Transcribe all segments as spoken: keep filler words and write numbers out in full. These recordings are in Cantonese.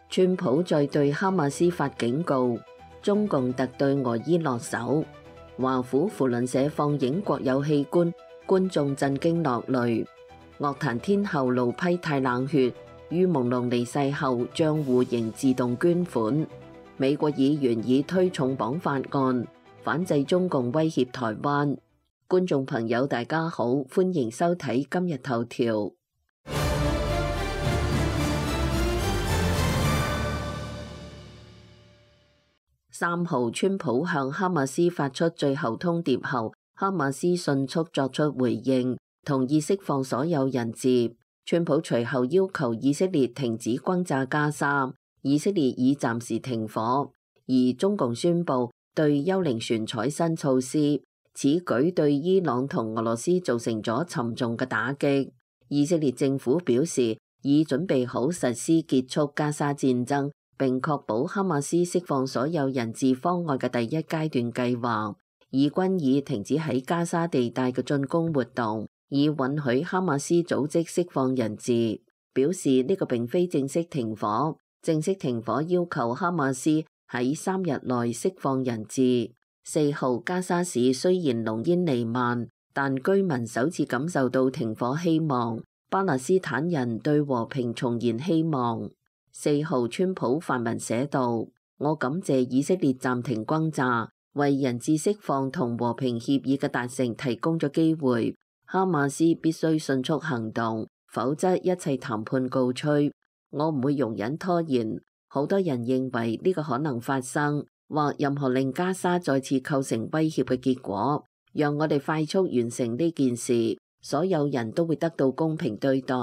川普再對哈馬斯發警告，中共特對俄伊落手。華府扶輪社放映國有器官，觀眾震驚落淚。樂壇天后路批太冷血，於朦朧離世後賬戶仍自動捐款。美國議員以推重綁法案，反制中共威脅台灣。觀眾朋友大家好，歡迎收睇今日頭條。三號，川普向哈馬斯發出最後通牒後，哈馬斯迅速作出回應，同意釋放所有人質。川普隨後要求以色列停止轟炸加沙，以色列已暫時停火，而中共宣布對幽靈船採新措施。此舉對伊朗同俄羅斯造成咗沉重嘅打擊。以色列政府表示已準備好實施結束加沙戰爭，並確保哈馬斯釋放所有人質方案嘅第一階段計劃。以軍已停止喺加沙地帶嘅進攻活動，以允許哈馬斯組織釋放人質。表示呢個並非正式停火，正式停火要求哈馬斯喺三日內釋放人質。四號，加沙市雖然濃煙彌漫，但居民首次感受到停火希望。巴勒斯坦人對和平重燃希望。四號，川普發文寫道：我感謝以色列暫停轟炸，為人質釋放同和平協議嘅達成提供咗機會。哈馬斯必須迅速行動，否則一切談判告吹。我唔會容忍拖延。好多人認為呢個可能發生，或任何令加沙再次構成威脅嘅結果。讓我哋快速完成呢件事，所有人都會得到公平對待。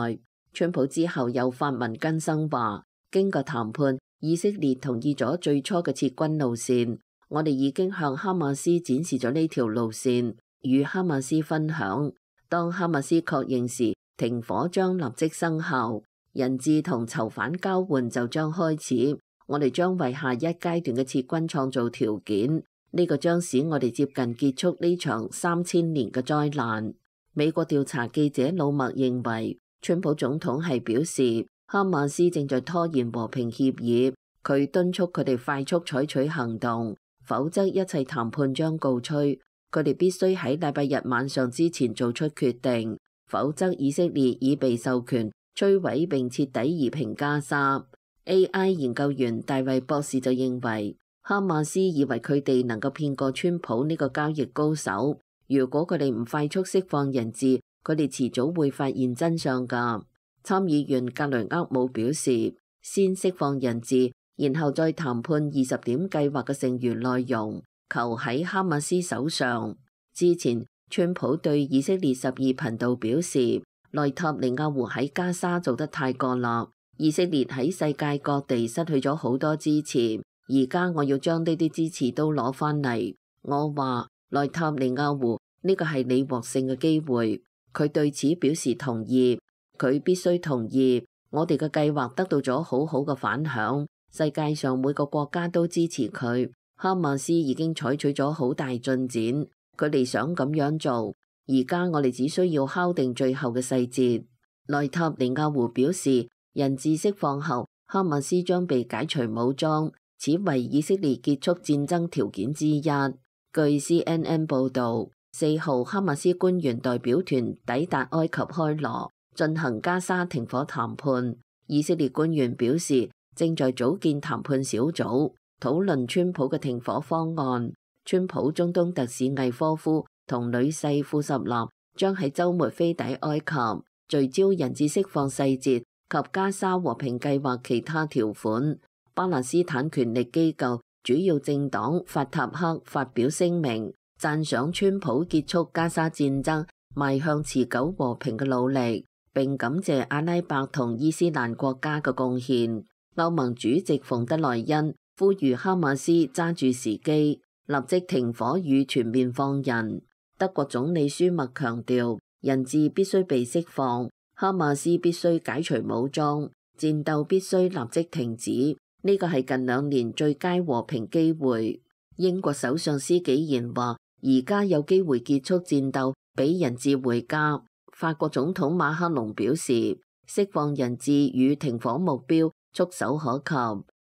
川普之後又發文更新話，經過談判，以色列同意咗最初嘅撤軍路線。我哋已經向哈馬斯展示咗呢條路線，與哈馬斯分享。當哈馬斯確認時，停火將立即生效，人質同囚犯交換就將開始。我哋將為下一階段嘅撤軍創造條件，呢個將使我哋接近結束呢場三千年嘅災難。美國調查記者魯默認為，川普總統係表示哈馬斯正在拖延和平協議，佢敦促佢哋快速採取行動，否則一切談判將告吹。佢哋必須喺禮拜日晚上之前做出決定，否則以色列已被授權摧毀並徹底夷平加沙。A I 研究員大衛博士就認為，哈馬斯以為佢哋能夠騙過川普呢個交易高手。如果佢哋唔快速釋放人質，佢哋遲早會發現真相㗎。參議員格雷厄姆表示，先釋放人質，然後再談判二十點計劃嘅剩餘內容，求喺哈馬斯手上。之前，川普對以色列十二頻道表示，內塔尼亞胡喺加沙做得太過啦。以色列喺世界各地失去咗好多支持，而家我要將呢啲支持都攞返嚟。我話內塔尼亞胡，呢個係你獲勝嘅機會。佢對此表示同意，佢必須同意。我哋嘅計劃得到咗好好嘅反響，世界上每個國家都支持佢。哈馬斯已經採取咗好大進展，佢哋想咁樣做。而家我哋只需要敲定最後嘅細節。內塔尼亞胡表示，人質釋放後，哈馬斯將被解除武裝，此為以色列結束戰爭條件之一。據 C N N 報導，四號哈馬斯官員代表團抵達埃及開羅，進行加沙停火談判。以色列官員表示，正在組建談判小組，討論川普嘅停火方案。川普中東特使魏科夫同女婿庫什納將喺週末飛抵埃及，聚焦人質釋放細節及加沙和平計劃其他條款。巴勒斯坦權力機構主要政黨法塔赫發表聲明，讚賞川普結束加沙戰爭、邁向持久和平嘅努力，並感謝阿拉伯同伊斯蘭國家嘅貢獻。歐盟主席馮德萊恩呼籲哈馬斯揸住時機，立即停火與全面放人。德國總理舒默強調，人質必須被釋放。哈馬斯必須解除武裝，戰鬥必須立即停止。呢個係近兩年最佳和平機會。英國首相施紀賢話，而家有機會結束戰鬥，俾人質回家。法國總統馬克龍表示，釋放人質與停火目標觸手可及。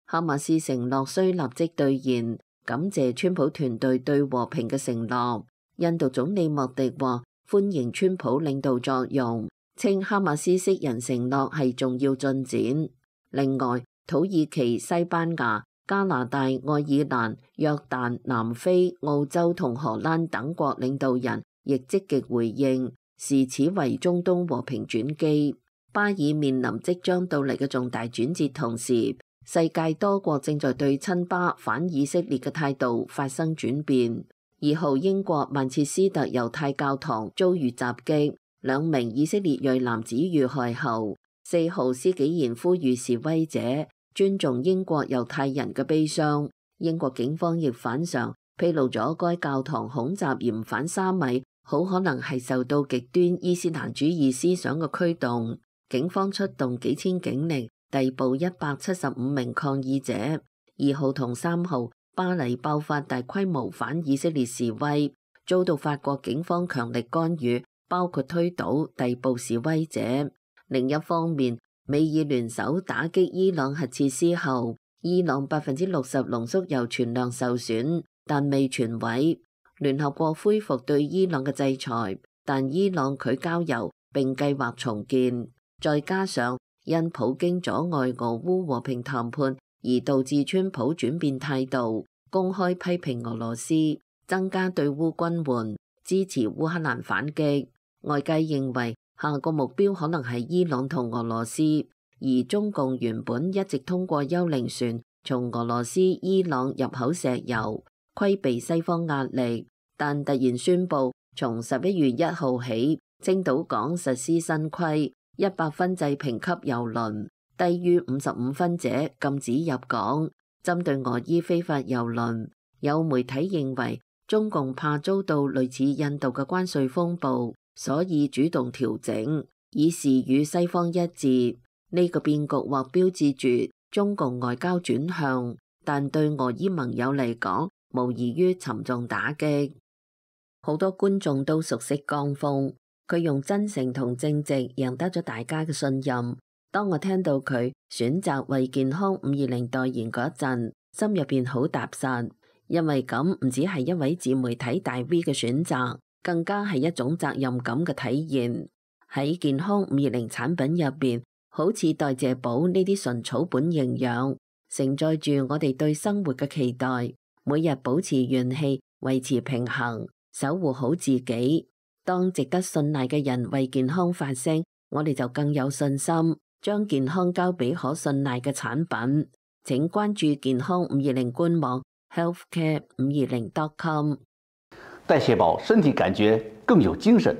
哈馬斯承諾需立即兌現，感謝川普團隊對和平嘅承諾。印度總理莫迪話歡迎川普領導作用，稱哈馬斯識人承諾係重要進展。另外，土耳其、西班牙、加拿大、愛爾蘭、約旦、南非、澳洲同荷蘭等國領導人亦積極回應，視此為中東和平轉機。巴爾面臨即將到嚟嘅重大轉折，同時世界多國正在對親巴反以色列嘅態度發生轉變。二號英國曼徹斯特猶太教堂遭遇襲擊，兩名以色列裔男子遇害後，四號施紀賢呼籲示威者尊重英國猶太人嘅悲傷。英國警方亦反常披露咗該教堂恐襲嫌犯沙米好可能係受到極端伊斯蘭主義思想嘅驅動，警方出動幾千警力逮捕一百七十五名抗議者。二號同三號巴黎爆發大規模反以色列示威，遭到法國警方強力干預，包括推倒、逮捕示威者。另一方面，美伊聯手打擊伊朗核設施後，伊朗百分之六十濃縮鈾存量受損，但未全毀。聯合國恢復對伊朗嘅制裁，但伊朗拒交鈾並計劃重建。再加上因普京阻礙俄烏和平談判而導致川普轉變態度，公開批評俄羅斯，增加對烏軍援，支持烏克蘭反擊。外界認為下個目標可能係伊朗同俄羅斯，而中共原本一直通過幽靈船從俄羅斯、伊朗入口石油，規避西方壓力，但突然宣布從十一月一號起，青島港實施新規，一百分制評級油輪，低於五十五分者禁止入港。針對俄伊非法油輪，有媒體認為中共怕遭到類似印度嘅關稅風暴，所以主動調整，以示與西方一致。呢個變局或標誌住中共外交轉向，但對俄伊盟友嚟講，無異於沉重打擊。好多觀眾都熟悉江峰，佢用真誠同正直贏得咗大家嘅信任。當我聽到佢選擇為健康五二零代言嗰陣，心入邊好踏實，因為咁唔只係一位自媒體大 V 嘅選擇，更加係一種責任感嘅體現。喺健康五二零產品入邊，好似代謝寶呢啲純草本營養，承載住我哋對生活嘅期待，每日保持元氣，維持平衡，守護好自己。當值得信賴嘅人為健康發聲，我哋就更有信心將健康交俾可信賴嘅產品。請關注健康五二零官網 healthcare 五二零 dot com。代謝寶，身體感覺更有精神。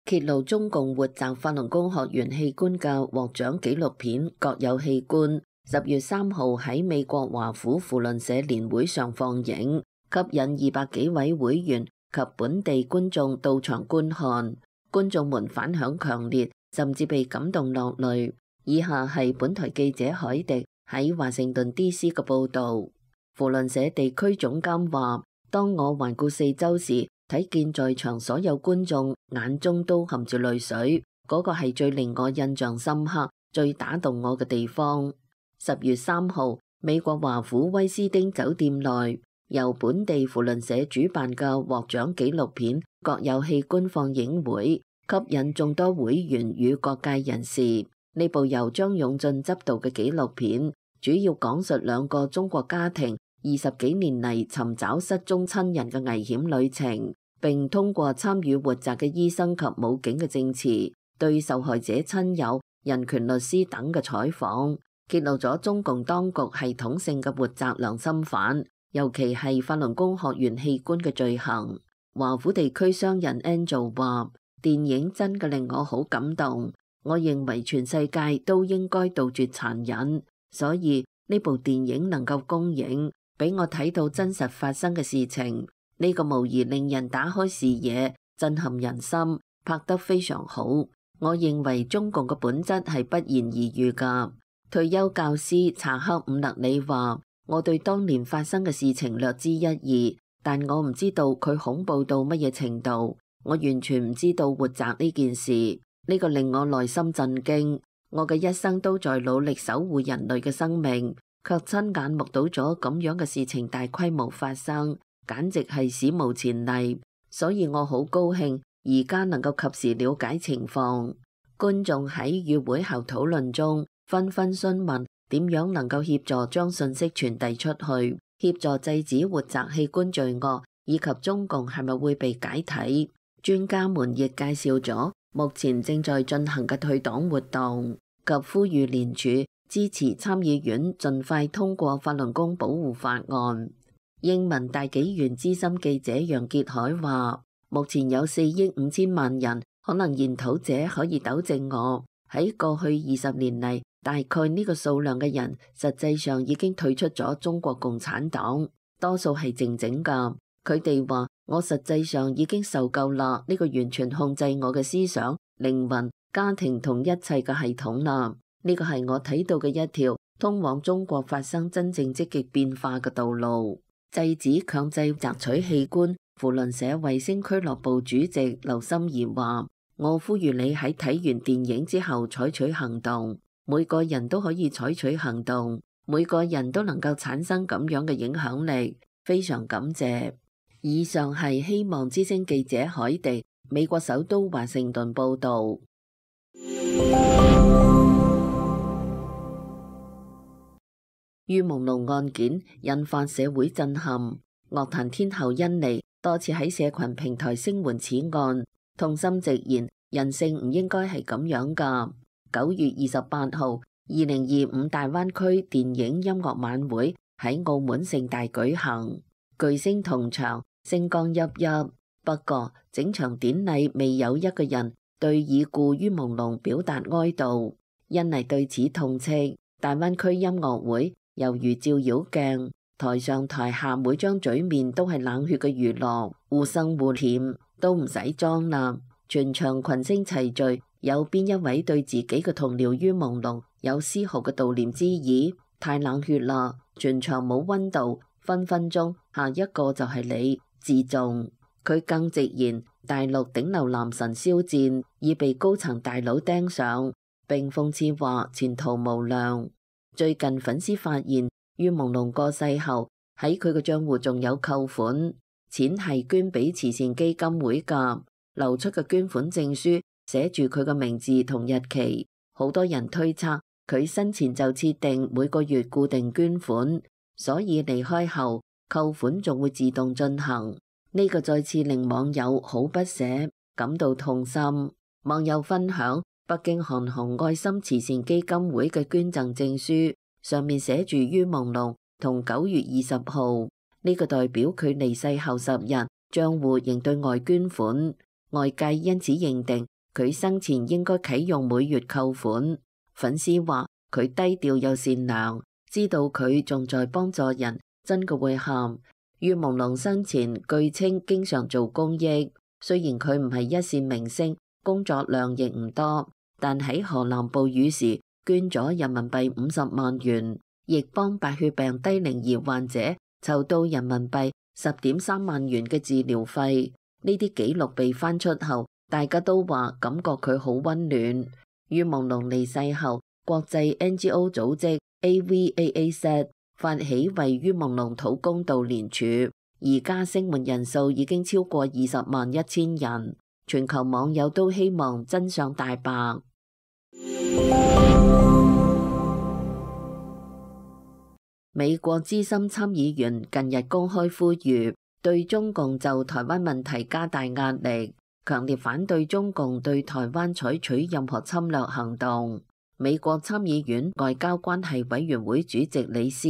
揭露中共活摘法輪功學員器官嘅獲獎紀錄片《各有器官》，十月三號喺美國華府扶輪社年會上放映，吸引二百幾位會員及本地觀眾到場觀看。觀眾們反響強烈，甚至被感動落淚。以下係本台記者海迪喺華盛頓 D C 嘅報導。扶輪社地區總監話：當我環顧四周時，睇見在場所有觀眾眼中都含住淚水，嗰個係最令我印象深刻、最打動我嘅地方。十月三號，美國華府威斯汀酒店內由本地扶輪社主辦嘅獲獎紀錄片《各有器官》放映會，吸引眾多會員與各界人士。呢部由張勇進執導嘅紀錄片，主要講述兩個中國家庭二十幾年嚟尋找失蹤親人嘅危險旅程，並通過參與活摘嘅醫生及武警嘅證詞，對受害者親友、人權律師等嘅採訪，揭露咗中共當局系統性嘅活摘良心犯，尤其係法輪功學員器官嘅罪行。華府地區商人 Angel 話：電影真嘅令我好感動，我認為全世界都應該杜絕殘忍，所以呢部電影能夠公映，俾我睇到真實發生嘅事情，呢個無疑令人打開視野，震撼人心，拍得非常好。我認為中共嘅本質係不言而喻噶。退休教師查克伍勒里話：我對當年發生嘅事情略知一二，但我唔知道佢恐怖到乜嘢程度，我完全唔知道活摘呢件事。呢個令我內心震驚。我嘅一生都在努力守護人類嘅生命，卻親眼目睹咗咁樣嘅事情大規模發生，簡直係史無前例。所以我好高興而家能夠及時了解情況。觀眾喺與會後討論中紛紛詢問點樣能夠協助將信息傳遞出去，協助制止活摘器官罪惡，以及中共係咪會被解體。專家們亦介紹咗目前正在進行嘅退黨活動，及呼籲聯署支持參議院盡快通過法輪功保護法案。英文大紀元資深記者楊傑海話：目前有四億五千萬人，可能研討者可以糾正我。喺過去二十年嚟，大概呢個數量嘅人，實際上已經退出咗中國共產黨，多數係靜靜㗎。佢哋話：我實際上已經受夠啦，呢個完全控制我嘅思想、靈魂、家庭同一切嘅系統啦。呢個係我睇到嘅一條通往中國發生真正積極變化嘅道路。制止強制摘取器官，扶輪社衛星俱樂部主席劉心怡話：我呼籲你喺睇完電影之後採取行動，每個人都可以採取行動，每個人都能夠產生咁樣嘅影響力。非常感謝。以上係希望之聲記者海地，美國首都華盛頓報道。於朦朧案件引發社會震撼，樂壇天后甄妮多次喺社群平台聲援此案，痛心直言人性唔應該係咁樣噶。九月二十八號，二零二五大灣區電影音樂晚會喺澳門盛大舉行，巨星同場，星光熠熠。不過整場典禮未有一個人對已故於朦朧表達哀悼。甄妮對此痛斥：大灣區音樂會猶如照妖鏡，台上台下每張嘴面都係冷血嘅娛樂，互生互舔，都唔使裝啦。全場群星齊聚，有邊一位對自己嘅同僚於朦朧有絲毫嘅悼念之意？太冷血啦！全場冇溫度，分分鐘下一個就係你，自重。佢更直言，大陸頂流男神肖戰已被高層大佬盯上，並諷刺話前途無量。最近粉絲發現於朦朧過世後喺佢嘅賬戶仲有扣款，錢係捐俾慈善基金會㗎，流出嘅捐款證書寫住佢嘅名字同日期。好多人推測佢生前就設定每個月固定捐款，所以離開後扣款仲會自動進行。呢個再次令網友好不捨，感到痛心。網友分享北京韓紅愛心慈善基金會嘅捐贈證書，上面寫住於朦朧同九月二十號，呢個代表佢離世後十日賬戶仍對外捐款，外界因此認定佢生前應該啟用每月扣款。粉絲話佢低調又善良，知道佢仲在幫助人，真嘅會喊。於朦朧生前據稱經常做公益，雖然佢唔係一線明星，工作量亦唔多，但喺河南暴雨時捐咗人民幣五十萬元，亦幫白血病低齡兒患者籌到人民幣十點三萬元嘅治療費。呢啲紀錄被翻出後，大家都話感覺佢好溫暖。於朦朧離世後，國際 N G O 組織 A V A A Z 發起為於朦朧討公道聯署，而家聲援人數已經超過二十萬一千人，全球網友都希望真相大白。美國資深參議員近日公開呼籲對中共就台灣問題加大壓力，強烈反對中共對台灣採取任何侵略行動。美國參議院外交關係委員會主席李斯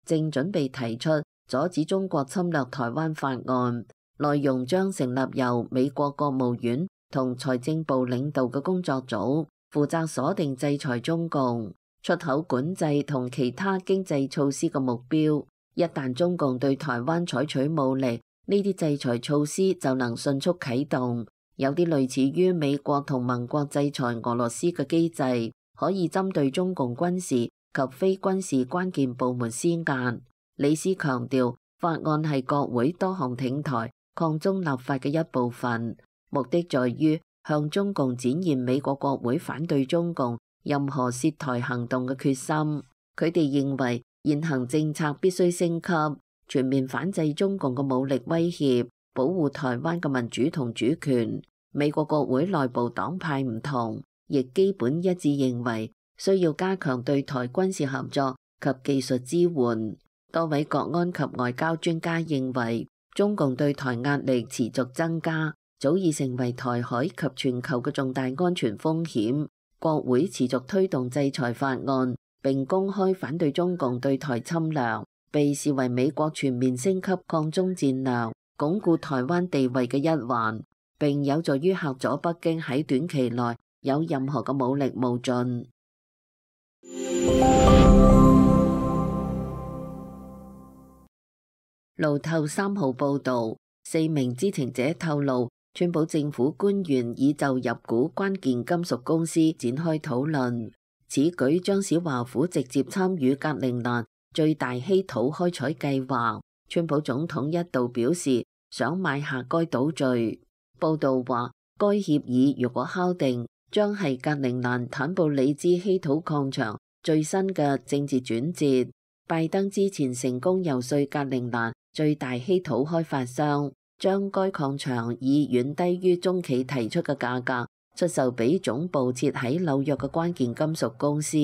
正準備提出阻止中國侵略台灣法案，內容將成立由美國國務院同財政部領導嘅工作組，負責鎖定制裁中共、出口管制同其他經濟措施嘅目標。一旦中共對台灣採取武力，呢啲制裁措施就能迅速啟動，有啲類似於美國同盟國制裁俄羅斯嘅機制。可以針對中共軍事及非軍事關鍵部門施壓。李斯強調，法案係國會多項挺台抗中立法嘅一部分，目的在於向中共展現美國國會反對中共任何涉台行動嘅決心。佢哋認為現行政策必須升級，全面反制中共嘅武力威脅，保護台灣嘅民主同主權。美國國會內部黨派唔同，亦基本一致認為需要加強對台軍事合作及技術支援。多位國安及外交專家認為，中共對台壓力持續增加，早已成為台海及全球嘅重大安全風險。國會持續推動制裁法案，並公開反對中共對台侵略，被視為美國全面升級抗中戰略、鞏固台灣地位嘅一環，並有助於嚇阻北京喺短期內有任何嘅武力冒進。路透三號報導，四名知情者透露，川普政府官員已就入股關鍵金屬公司展開討論。此舉將使華府直接參與格陵蘭最大稀土開採計劃。川普總統一度表示想買下該島嶼。報導話，該協議如果敲定，將係格陵蘭坦布里茲稀土礦場最新嘅政治轉折。拜登之前成功遊說格陵蘭最大稀土開發商，將該礦場以遠低於中企提出嘅價格出售俾總部設喺紐約嘅關鍵金屬公司。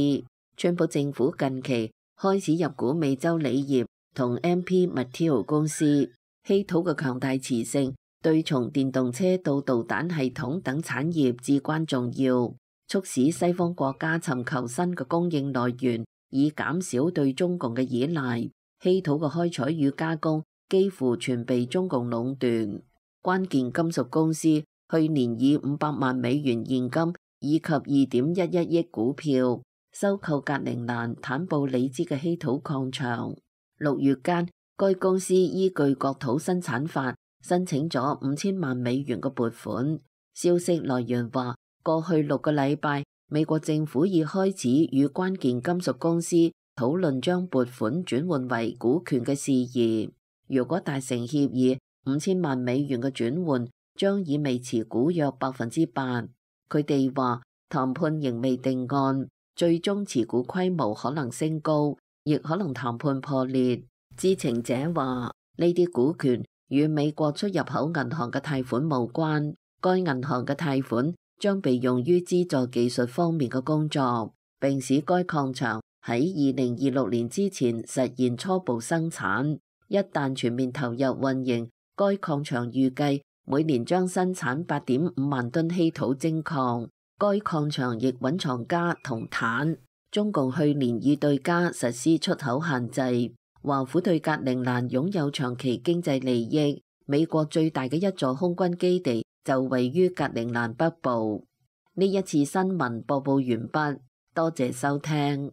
川普政府近期開始入股美洲鋰業同 M P Material 公司。稀土嘅強大磁性對從電動車到導彈系統等產業至關重要，促使西方國家尋求新嘅供應來源，以減少對中共嘅依賴。稀土嘅開採與加工幾乎全被中共壟斷。關鍵金屬公司去年以五百萬美元現金以及二點一一億股票收購格陵蘭坦布里茲嘅稀土礦場。六月間，該公司依據國土生產法申請咗五千萬美元嘅撥款。消息來源話，過去六個禮拜，美國政府已開始與關鍵金屬公司討論將撥款轉換為股權嘅事宜。如果達成協議，五千萬美元嘅轉換將意味持股約百分之八。佢哋話談判仍未定案，最終持股規模可能升高，亦可能談判破裂。知情者話呢啲股權與美國出入口銀行嘅貸款無關，該銀行嘅貸款將被用於資助技術方面嘅工作，並使該礦場喺二零二六年之前實現初步生產。一旦全面投入運營，該礦場預計每年將生產八點五萬噸稀土精礦。該礦場亦蘊藏鎵同鉭。中共去年已對鎵實施出口限制。華府對格陵蘭擁有長期經濟利益。美國最大嘅一座空軍基地就位於格陵蘭北部。呢一次新聞播報完畢，多謝收聽。